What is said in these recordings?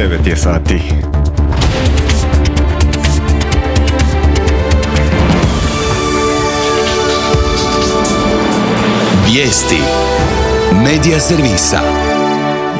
9 je sati. Vijesti Medija servisa.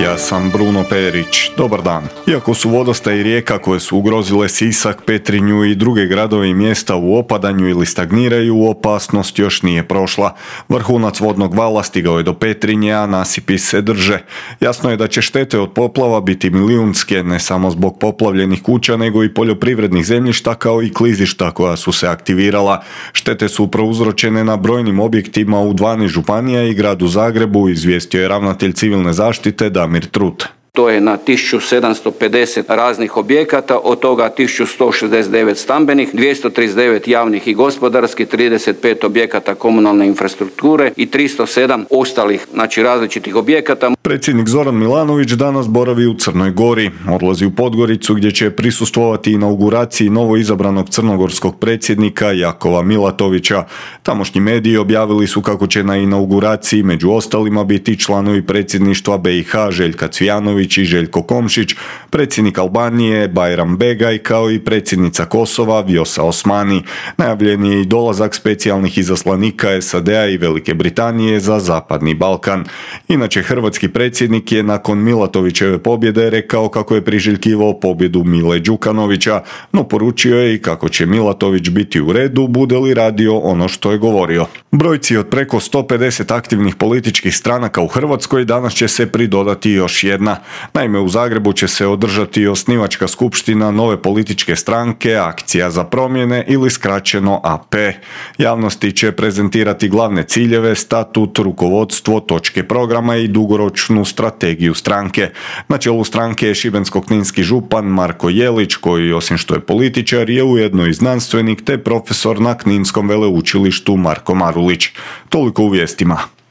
Ja sam Bruno Perić. Dobar dan. Iako su vodostaji rijeka koje su ugrozile Sisak, Petrinju i druge gradove i mjesta u opadanju ili stagniraju, opasnost još nije prošla. Vrhunac vodnog vala stigao je do Petrinje, a nasipi se drže. Jasno je da će štete od poplava biti milijunske, ne samo zbog poplavljenih kuća, nego i poljoprivrednih zemljišta kao i klizišta koja su se aktivirala. Štete su prouzročene na brojnim objektima u 12 županija i gradu Zagrebu, izvijestio je ravnatelj civilne zaštite Damir Trut. To je na 1750 raznih objekata, od toga 1169 stambenih, 239 javnih i gospodarskih, 35 objekata komunalne infrastrukture i 307 ostalih, različitih objekata. Predsjednik Zoran Milanović danas boravi u Crnoj Gori. Odlazi u Podgoricu gdje će prisustvovati inauguraciji novo izabranog crnogorskog predsjednika Jakova Milatovića. Tamošnji mediji objavili su kako će na inauguraciji među ostalima biti članovi predsjedništva BiH Željka Cvijanović i Željko Komšić, predsjednik Albanije Bajram Begaj kao i predsjednica Kosova Vjosa Osmani. Najavljen je i dolazak specijalnih izaslanika SAD-a i Velike Britanije za Zapadni Balkan. Inače, hrvatski predsjednik je nakon Milatovićeve pobjede rekao kako je priželjkivao pobjedu Mile Đukanovića, no poručio je i kako će Milatović biti u redu bude li radio ono što je govorio. Brojci od preko 150 aktivnih političkih stranaka u Hrvatskoj danas će se pridodati još jedna. Naime, u Zagrebu će se održati osnivačka skupština nove političke stranke Akcija za promjene ili skraćeno AP. Javnosti će prezentirati glavne ciljeve, statut, rukovodstvo, točke programa i dugoročnu strategiju stranke. Na čelu stranke je šibensko-kninski župan Marko Jelić, koji osim što je političar je ujedno i znanstvenik te profesor na Kninskom veleučilištu Marko Marulić. Toliko u vijestima.